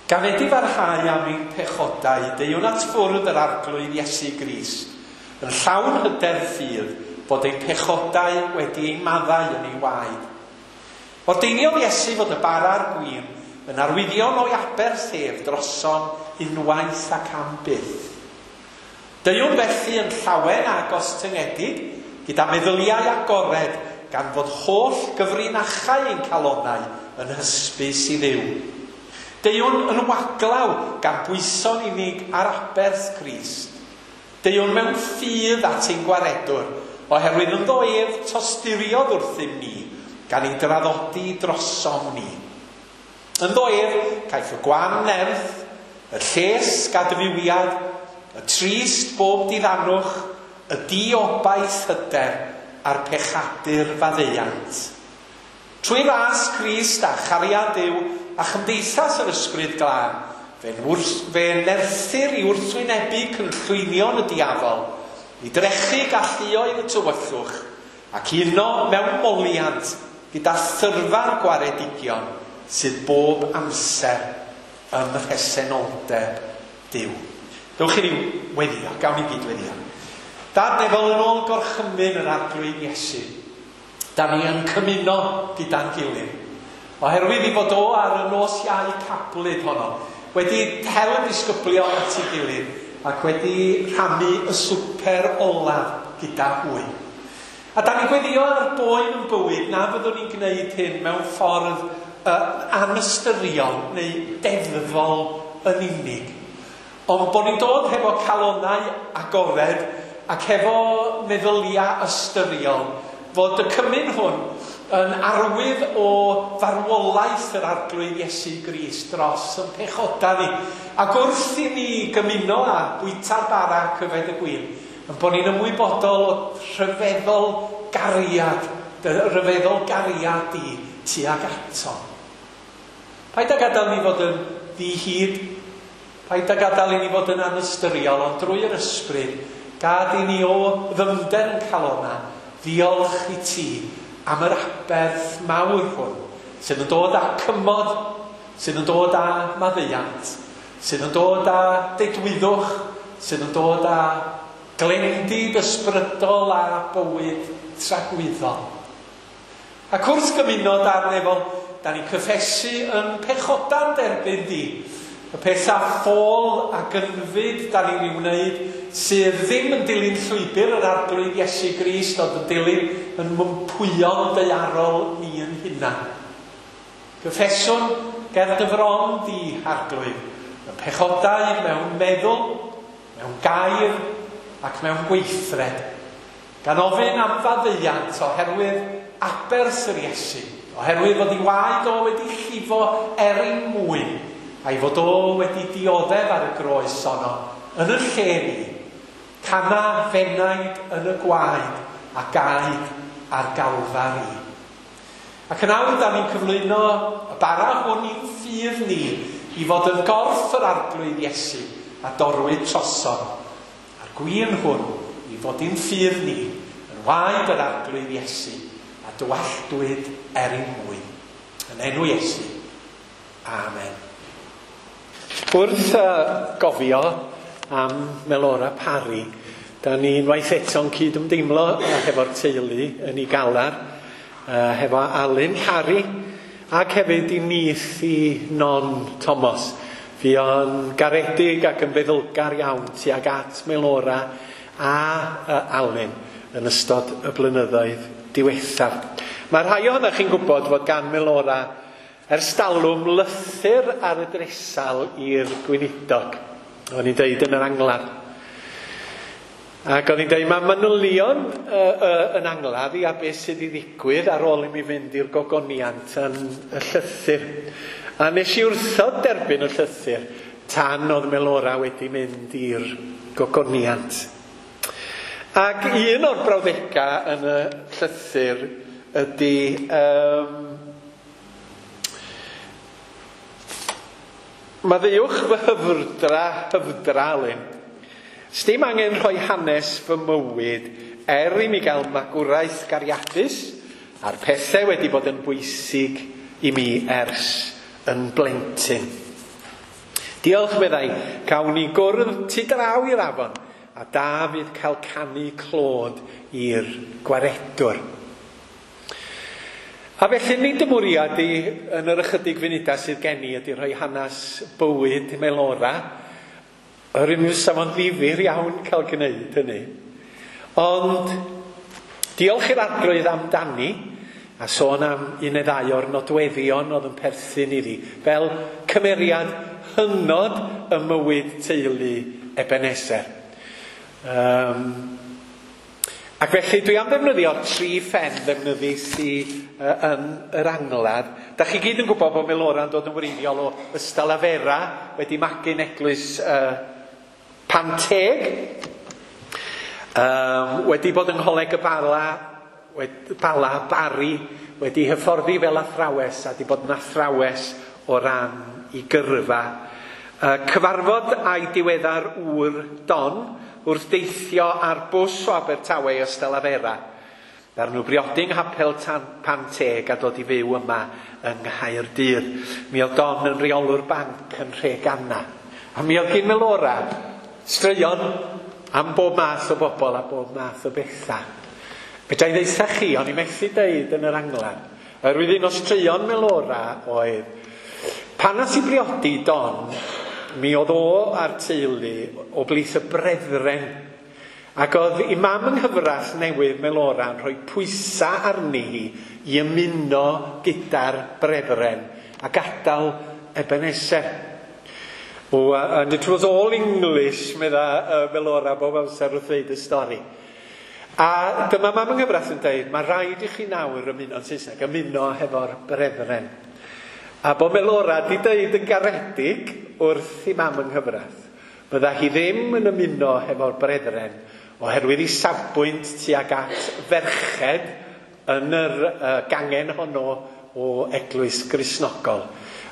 Gan edifarhau am ein pechodau, deuwn at fwrdd yr Arglwydd Iesu Grist, yn llawn hyder ffydd bod ein pechodau wedi ein maddau yn ei waed. Ordeiniodd Iesu fod y bara a'r gwin yn arwyddion o'i aberth ef drosom unwaith ac am byth. Deuwn felly yn llawen a gostyngedig, gyda meddyliau agored, gan fod holl gyfrinachau ein calonau yn hysbys i Dduw. Deuwn yn waglaw gan bwyso'n unig ar aberth Crist. Deuwn mewn ffydd at ein gwaredwr, oherwydd ynddo ef tosturiodd wrthym ni, gan ei draddodi drosom ni. Ynddo ef caiff y gwan nerth, y lles gadfywiad, y trist bob diddanwch, y diobaith hyder a'r pechadur faddeuant. Trwy ras Crist a chariad Duw a chymdeithas yr Ysbryd Glân, fe, fe nerthir i wrthwynebu cynllwynion y diafol, i drechu galluoedd y tywyllwch, ac uno mewn moliant gyda thyrfa'r gwaredigion sydd bob amser ym mhresenoldeb Duw. Dewch i ni weddio, gawn ni gyd weddio. Dad nefol, yn ôl gorchymyn yr Arglwydd Iesu, da ni yn cymuno gyda'n gilydd. Oherwydd i fod o ar y nos Iau cablyd honno, wedi hel y disgyblion at ei gilydd ac wedi rhannu y swper olaf gyda hwy. A da ni'n gweddio ar boen yn bywyd na fyddwn ni'n gwneud hyn mewn ffordd uh, anystyriol neu deddfol yn unig. Ond bod ni'n dod hefo calonau agored ac hefo meddyliau ystyriol, fod y cymun hwn yn arwydd o farwolaeth yr Arglwydd Iesu Grist dros yn pechoda ni. Ac wrth i ni gymuno a bwyta'r bara ac yfed y gwin, yn bod ni'n ymwybodol o rhyfeddol gariad, rhyfeddol gariad di tuag ato. Paid â gadael ni fod yn ddi-hid, paid â gadael i ni fod yn anystyriol, ond drwy'r ysbryd, gad i ni o ddyfnder yn calona, ddiolch i ti am yr aberth mawr hwn, sydd yn dod â cymod, sydd yn dod â maddeuant, sydd yn dod â dedwyddwch, sydd yn dod â glendid ysbrydol a bywyd tragwyddol. Ac wrth gymuno darn efo, da ni'n cyffesu yn pechoda'n derbyn di. Y pethau ffôl a gynfyd da ni'n ei wneud sydd ddim yn dilyn llwybr yr Arglwydd Iesu Grist, ond yn dilyn yn mympwyon daearol ni yn hunan. Cyffeswn ger dy fron di, Arglwydd, y pechodau mewn meddwl, mewn gair ac mewn gweithred, gan ofyn am faddeuant oherwydd aberth yr Iesu, oherwydd fod ei waed o wedi llifo er ein mwyn, a'i fod o wedi dioddef ar y groes ono, yn y lle ni, cana fenaid yn y gwaed a gaed ar Galfari. Ac yn awr, da ni'n cyflwyno y bara hwn i'n ffydd ni i fod yn gorff yr Arglwydd Iesu a dorwyd trosom, a'r gwin hwn i fod i'n ffydd ni yn waed yr Arglwydd Iesu a dywalltwyd er ein mwyn. Yn enw Iesu. Amen. Wrth uh, gofio am Melora Parry, da ni unwaith eto'n cyd-ymdeimlo hefo'r teulu yn ei galar, uh, hefo Alun Parry, ac hefyd i nith i Non Thomas. Fuo'n garedig ac yn feddylgar iawn tuag at Melora a uh, Alun yn ystod y blynyddoedd diwethaf. Mae rhai ohonoch chi'n gwybod fod gan Melora ers talwm lythyr ar y dresal i'r gweinidog. O'n i'n deud yn yr angladd. Ac o'n i'n deud, mae manylion uh, uh, yn angladd i a beth sydd i ddigwydd ar ôl i mi fynd i'r gogoniant yn y llythyr. A nes i wrthod derbyn y llythyr tan oedd Melora wedi mynd i'r gogoniant. Ac un o'r brawddegau yn y llythyr ydy... Um, Maddeuwch fy hyfrdra, hyfdra, Alun. Sdim angen rhoi hanes fy mywyd er i mi gael magwraeth gariadus a'r pethau wedi bod yn bwysig i mi ers yn blentyn. Diolch, meddai, cawn ni gwrdd tu draw i'r afon a da fydd cael canu clod i'r gwaredwr. A felly nid y mwriad i yn yr ychydig funudau sydd gen i ydy rhoi hanes bywyd Melora. Yr un fysa fo'n ddifyr iawn cael gwneud hynny. Ond diolch i'r Arglwydd amdani, a sôn am un neu ddau o'r nodweddion oedd yn perthyn iddi, fel cymeriad hynod y mywyd teulu Ebenezer. Um, Ac felly dwi am ddefnyddio'r tri phen ddefnyddis i uh, yn yr angladd. Da chi gyd yn gwybod bod Melora'n dod yn wreiddiol o Ystalyfera, wedi magu'n eglwys uh, Panteg, um, wedi bod yng Ngholeg y Bala, wedi, Bala Bari, wedi hyfforddi fel athrawes a wedi bod yn athrawes o ran i gyrfa. Uh, cyfarfod a'i diweddar ŵr Don wrth deithio ar bws o Abertawe i Ystalyfera. Ddaru nhw briodi yng Nghapel Panteg a dod i fyw yma yng Nghaerdydd. Mi oedd Don yn reolwr banc yn Nhreganna. A mi oedd gyn Melora straeon am bob math o bobl a bob math o bethau. Fedra i ddeutha chi, o'n i methu deud yn yr angladd. Oherwydd un o straeon Melora oedd, pan nath i briodi Don, mi oedd o a'r teulu o blith y brethren. Ac oedd i mam yng nghyfraith newydd Melora yn rhoi pwysau arni hi i ymuno gyda'r brethren a gadael Ebenezer. Oh, and it was all English, medda uh, Melora bob amser wrth ddeud y stori. A dyma mam yng nghyfraith yn dweud, mae rhaid i chi nawr ymuno yn Saesneg, ymuno hefo'r brethren. A bod Melora di dweud yn garedig wrth i mam yng nghyfraith, bydda hi ddim yn ymuno hefo'r brethren oherwydd ei safbwynt tuag at ferched yn yr uh, gangen honno o Eglwys Gristnogol.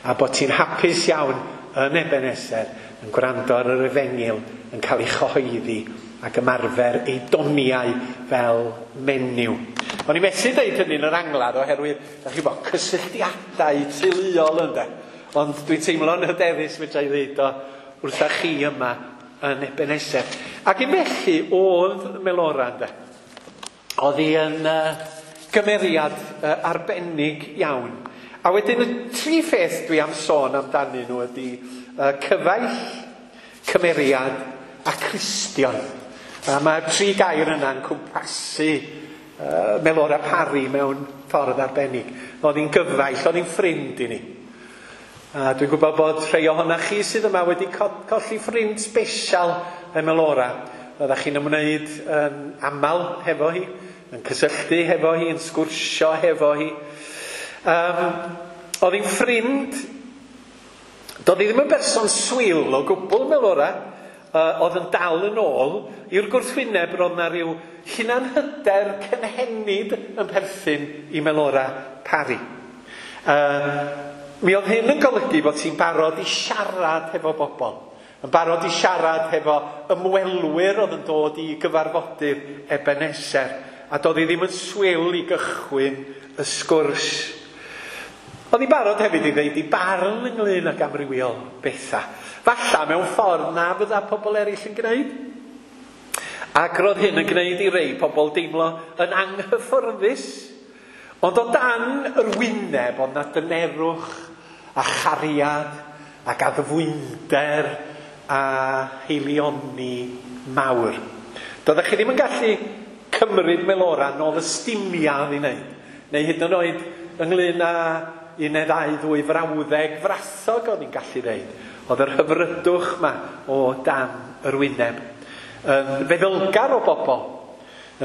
A bod ti'n hapus iawn yn Ebenezer yn gwrando ar yr efengyl yn cael ei chyhoeddi ac ymarfer ei doniau fel menyw. O'n i methu deud hynny yn yr angladd oherwydd, da chi bod, cysylltiadau teuluol ynde. Ond dwi'n teimlo'n hyderus fedra i ddeud o wrtha chi yma yn Ebenezer. Ac un felly oedd Melora ynde. Oedd hi yn uh, gymeriad uh, arbennig iawn. A wedyn y tri pheth dwi am sôn amdanyn nhw ydy uh, cyfaill, cymeriad a Cristion. A mae'r tri gair yna'n cwmpasu uh, Melora Parry mewn ffordd arbennig. Oedd hi'n gyfaill, oedd hi'n ffrind i ni. A dwi'n gwybod bod rhai ohonoch chi sydd yma wedi colli ffrind sbesial y Melora. Oeddech chi'n ymwneud yn aml hefo hi, yn cysylltu hefo hi, yn sgwrsio hefo hi. Um, oedd hi'n ffrind, doedd hi ddim yn berson swil o gwbl Melora, uh, oedd yn dal yn ôl i'r gwrthwyneb roedd na rhyw hunanhyder cynhenid yn perthyn i Melora Parry. Uh, mi oedd hyn yn golygu bod ti'n barod i siarad hefo bobl, yn barod i siarad hefo ymwelwyr oedd yn dod i gyfarfodydd Ebenezer, a doedd hi ddim yn swil i gychwyn y sgwrs. Oedd hi'n barod hefyd i ddeud i barn ynglyn ag amrywiol bethau. Falla mewn ffordd na fydda pobl eraill yn gwneud. Ac roedd hyn yn gwneud i rei pobl deimlo yn anghyfforddus. Ond o dan yr wyneb oedd na dynerwch a chariad ac addfwynder a heilioni mawr. Doeddech chi ddim yn gallu cymryd Melora nôl y stumia oedd hi'n wneud. Neu hyd yn oed ynglyn â un neu ddau ddwy frawddeg frathog oedd hi'n gallu ddeud. Oedd yr hyfrydwch ma o dan yr wyneb. Yn feddylgar o bobl,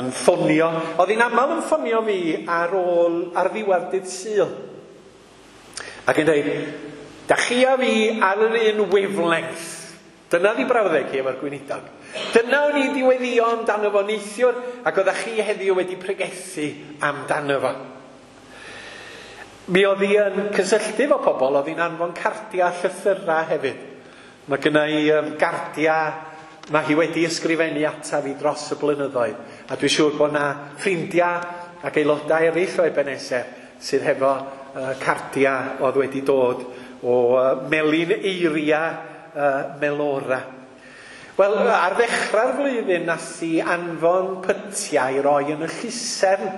yn ffonio. Oedd hi'n aml yn ffonio fi ar ôl, ar ddiwedd dydd Sul. Ac yn dweud, da chi a fi ar yr un wavelength. Dyna ddi brawddeg hi efo'r gweinidog. Dyna o'n i di weddïo amdano fo neithiwr, ac oeddech chi heddiw wedi pregethu amdano fo. Mi oedd hi yn cysylltu efo pobl, oedd hi'n anfon cardiau llythyrau hefyd. Mae gynna i um, gardiau, mae hi wedi ysgrifennu ataf fi dros y blynyddoedd. A dwi'n siŵr bod na ffrindiau ac aelodau eraill o Ebenezer sydd hefo uh, cardiau oedd wedi dod o uh, Melin Eiria uh, Melora. Wel, ar ddechrau'r flwyddyn nath hi anfon pytiau i roi yn y llusern.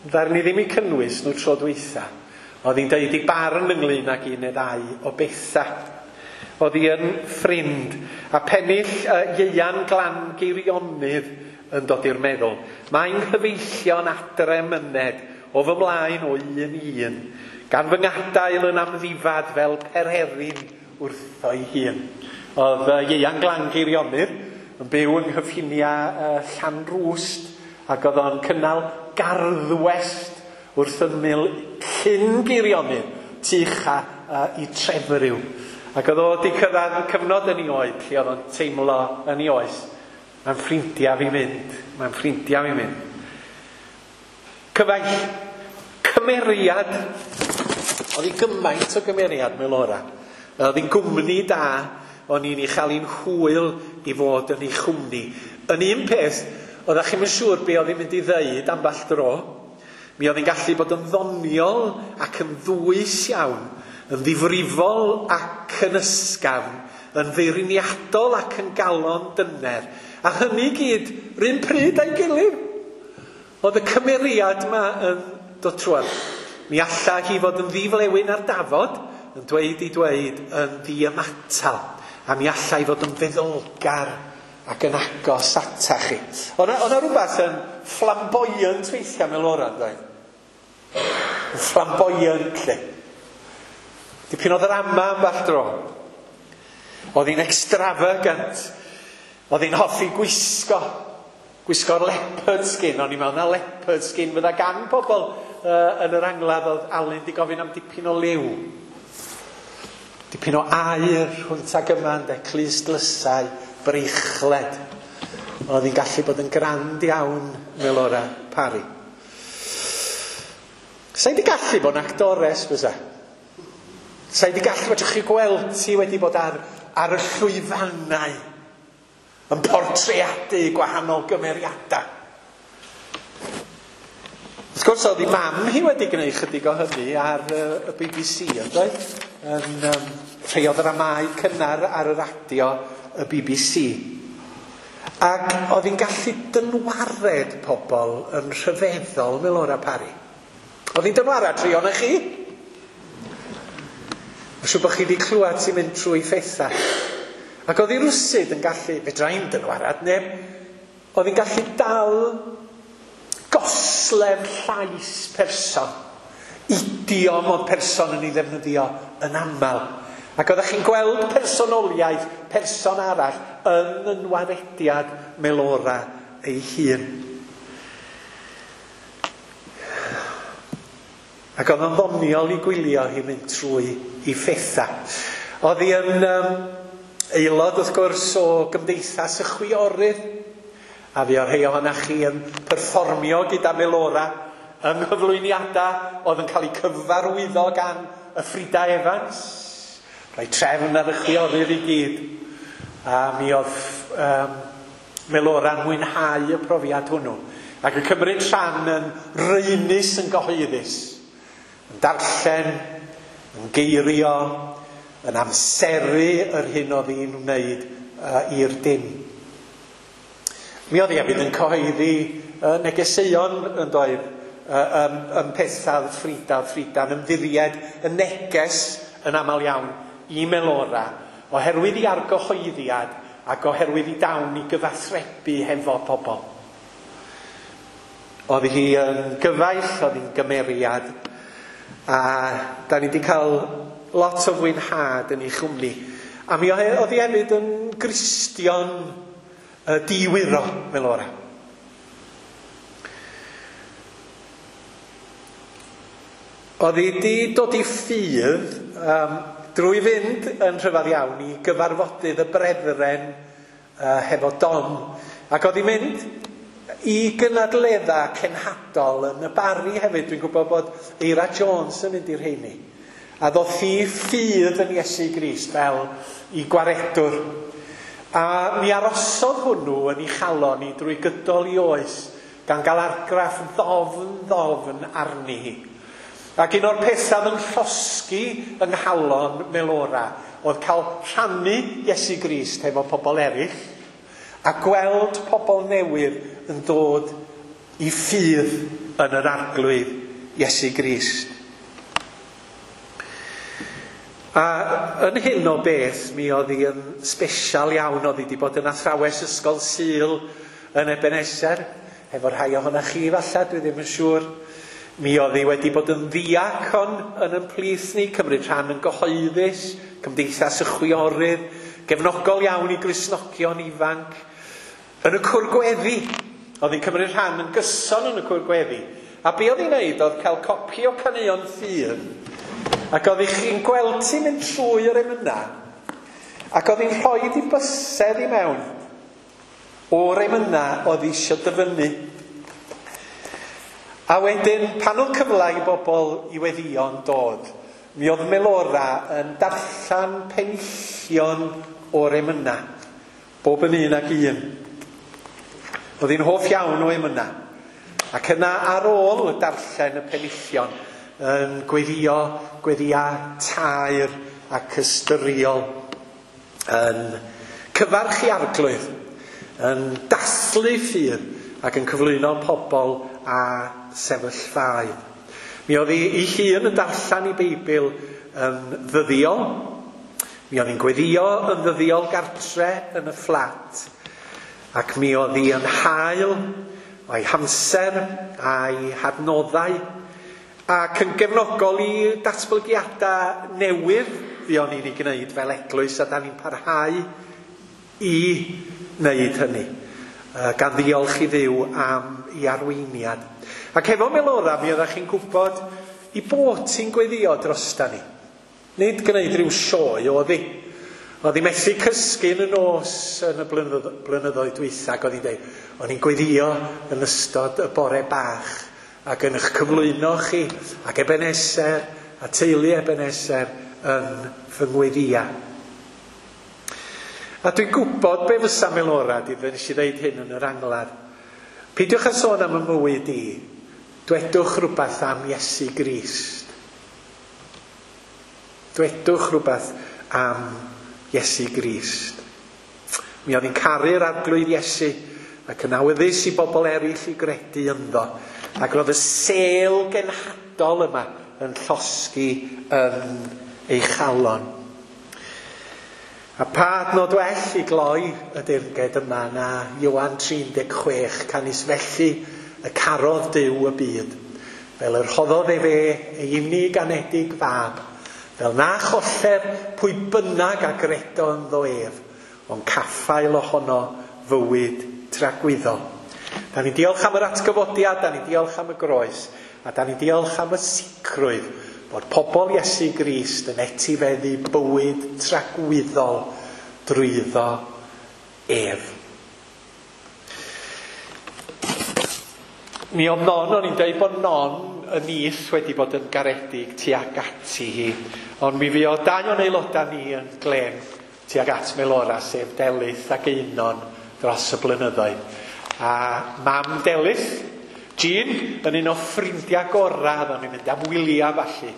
Ddaru ni ddim eu cynnwys nhw tro dwytha. Oedd hi'n deud i barn ynglyn ag un neu ddau o bethau. Oedd hi yn ffrind. A pennill uh, Ieuan Glan Geirionydd yn dod i'r meddwl. Mae'n nghyfeillion adre myned o fy mlaen o un i un, gan fy ngadael yn amddifad fel pererin wrtho'i hun. Oedd uh, Ieuan Glan Geirionydd yn byw yng nghyffiniau uh, Llanrwst, ac oedd o'n cynnal garddwest wrth ymyl Llyn Geirionydd, tu ucha uh, i Trefriw. Ac oedd o wedi cyrraedd cyfnod yn ei oed lle oedd o'n teimlo yn ei oes, mae'n ffrindiau fi mynd, mae'n ffrindiau fi mynd. Cyfaill, cymeriad, oedd hi gymaint o gymeriad Melora. Oedd hi'n gwmni da, o'n i'n ei chael hi'n hwyl i fod yn ei chwmni. Yn un peth, oeddech chi'm yn siŵr be oedd hi'n mynd i ddeud ambell dro. Mi oedd hi'n gallu bod yn ddoniol ac yn ddwys iawn, yn ddifrifol ac yn ysgafn, yn feirniadol ac yn galon dyner. A hynny gyd, r'un pryd a'i gilydd. Oedd y cymeriad yma yn dod trwad. Mi alla hi fod yn ddiflewyn ar dafod, yn dweud i dweud yn ddiymatal. A mi alla hi fod yn feddylgar ac yn agos atach chi. Oedd yna rhywbeth yn flamboyant weithiau Melora, dweud. Yn flamboyant, lle. Dipyn o ddrama ambell dro. Oedd hi'n extravagant. Oedd hi'n hoffi gwisgo. Gwisgo'r leopard skin, o'n i'n meddwl na leopard skin fydda gan pobl uh, yn yr angladd. Oedd Alun di gofyn am dipyn o liw. Dipyn o aur hwnt ag yma, ynde, clustdlysau, breichled. Oedd hi'n gallu bod yn grand iawn, Melora Parry. Sa'i di gallu bod yn actores, fysa? Sa'i di gallu, fedrwch chi gweld ti wedi bod ar, ar y llwyfannau yn portreadu gwahanol gymeriadau. Wrth gwrs, oedd ei mam hi wedi gwneud chydig o hynny ar uh, y B B C, yn doedd? Yn um, rhai o ddramâu cynnar ar y radio y B B C. Ac oedd hi'n gallu dynwared pobl yn rhyfeddol, Melora Parry. Oedd hi'n dynwarad rhai ohonoch chi? Mae'n siŵr bod chi wedi clywed ti'n mynd trwy phethau. Ac oedd hi rwsyd yn gallu, fedra i'n dynwarad neb, oedd hi'n gallu dal goslef llais person, idiom oedd person yn ei ddefnyddio yn aml. Ac oeddech chi'n gweld personoliaeth person arall yn ynwarediad Melora ei hun. Ac oedd o'n ddoniol i gwylio hi mynd trwy i phethau. Oedd hi yn um, aelod, wrth gwrs, o Gymdeithas y Chwiorydd. A fi o'r rhai ohonoch chi yn perfformio gyda Melora yng nghyflwyniadau oedd yn cael eu cyfarwyddo gan y Frida Evans. Rhoi trefn ar y chwiorydd i gyd. A mi oedd um, Melora'n mwynhau y profiad hwnnw. Ac yn cymryd rhan yn raenus yn gyhoeddus. Yn darllen, yn geirio, yn amseru yr hyn oedd hi'n wneud uh, i'r dim. Mi oedd hi hefyd yn cyhoeddi uh, negeseuon yn doedd, uh, um, um, pethau Frida, Frida'n ymddiried y neges yn aml iawn i Melora, oherwydd i argyhoeddiad ac oherwydd i dawn i gyfathrebu hefo pobl. Oedd hi yn gyfaill, oedd hi'n gymeriad, a da ni wedi cael lot o fwynhad yn ei chwmni. A mi oedd hi hefyd yn Gristion uh, diwyro, Melora. Oedd hi wedi dod i ffydd um, drwy fynd yn rhyfedd iawn i gyfarfodydd y Brethren uh, hefo Dom. Ac oedd hi'n mynd i gynadledda cenhadol yn y Barri hefyd. Dwi'n gwybod bod Eira Jones yn mynd i'r rheini. A ddoth hi ffydd yn Iesu Grist fel i gwaredwr. A mi arosodd hwnnw yn ei chalon i drwy gydol i oes, gan gael argraff ddofn ddofn arni hi. Ac un o'r pethau yn llosgi yng nghalon Melora oedd cael rhannu Iesu Grist hefo pobl eraill a gweld pobl newydd yn dod i ffydd yn yr Arglwydd Iesu Grist. A yn hyn o beth, mi oedd hi yn sbesial iawn. Oedd hi wedi bod yn athrawes ysgol Sul yn Ebenezer, efo rhai ohonoch chi falle, dwi ddim yn siŵr. Mi oedd hi wedi bod yn ddiacon yn ein plith ni, cymryd rhan yn gyhoeddus, Cymdeithas y Chwiorydd, gefnogol iawn i Gristnogion ifanc. Yn y cwr gweddi, oedd hi'n cymryd rhan yn gyson yn y cwr gweddi. A be oedd hi'n neud oedd cael copi o caneuon ffydd, ac oedd chi'n gweld ti'n mynd trwy yr emynau, ac oedd hi'n rhoi di bysedd i mewn o'r emynau oedd eisiau dyfynnu. A wedyn, pan oedd cyfle i bobl i weddïo'n dod, mi oedd Melora yn darllen penillion o'r emynau, bob yn un ag un. Oedd hi'n hoff iawn o emynau. Ac yna ar ôl darllen y penillion, yn gweddio, gweddia taer ac ystyriol, yn cyfarch i Arglwydd, yn dathlu ffydd ac yn cyflwyno pobl a sefyllfaoedd. Mi oedd hi ei hun yn darllen ei Beibl yn ddyddiol. Mi oedd hi'n gweddio yn ddyddiol gartre yn y fflat. Ac mi oedd hi yn hael o'i hamser a'i hadnoddau ac yn gefnogol i datblygiadau newydd fuon ni'n ei gwneud fel eglwys, a da ni'n parhau i wneud hynny. gan ddiolch i Dduw am ei arweiniad. Ac efo Melora, mi oeddech chi'n gwybod i bod ti'n gweddio drosta ni. Nid gwneud rhyw sioe oedd hi. Oedd hi methu cysgu yn y nos yn y blynyddoedd dwytha, ac oedd hi'n dweud, o'n i'n gweddio yn ystod y bore bach ac yn eich cyflwyno chi ac Ebeneser a teulu Ebeneser yn fy ngweddia. A dwi'n gwybod be fysa Melora, di fe nes i ddeud hyn yn yr angladd. Peidiwch â sôn am y mywyd i, dwedwch rhywbeth am Iesu Grist. Dwedwch rhywbeth am Iesu Grist. Mi oedd hi'n caru'r Arglwydd Iesu ac yn awyddus i bobl eraill i gredu ynddo. Ac roedd y sêl genhadol yma yn llosgi yn ei chalon. A pa adnod well i gloi y deyrnged yma na Ioan tri deg chwech, canys felly y carodd Duw y byd, fel yr rhoddodd efe ei unig anedig fab, fel na choller pwy bynnag a gredo ynddo ef, ond caffael ohono fywyd tragwyddol. Da ni'n diolch am yr atgyfodiad, da ni'n diolch am y groes, a da ni'n diolch am y sicrwydd bod pobl Iesu Grist yn etifeddu bywyd tragwyddol drwyddo ef. Mi oedd Non, o'n i'n dweud bod Non y nith wedi bod yn garedig tuag ati hi, ond mi fuodd dau o'n aelodau ni yn glem tuag at Melora, sef Delyth ac Einon dros y blynyddoedd. A mam Delyth, Jean, yn un o ffrindiau gorau, o'n i'n mynd am wyliau falle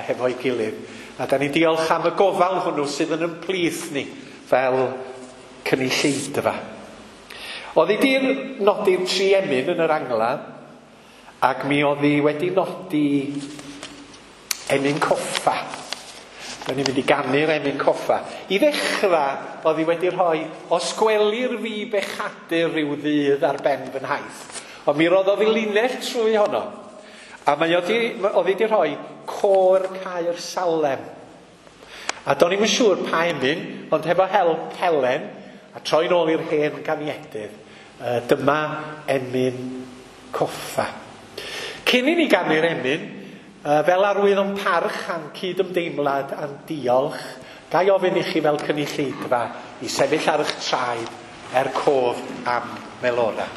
hefo'i gilydd. A da ni'n diolch am y gofal hwnnw sydd yn ymplith ni fel cynulleidfa. Oedd hi 'di nodi'r tri emyn yn yr angladd, ac mi oedd hi wedi nodi emyn coffa. Da ni'n mynd i ganu'r emyn coffa. I ddechrau, oedd hi wedi rhoi, os gwelir fi bechadur rhyw ddydd ar ben fy nhaith. Ond mi roddodd hi linell trwy honno. A mae oedd hi wedi rhoi côr Caer Salem. A do'n i'm yn siŵr pa emyn, ond hefo help Helen, a troi nôl i'r hen ganiedydd, dyma emyn coffa. Cyn i ni ganu'r emyn, fel arwydd o'n parch a'n cydymdeimlad a'n diolch, ga i ofyn i chi fel cynulleidfa i sefyll ar eich traed er cof am Melora.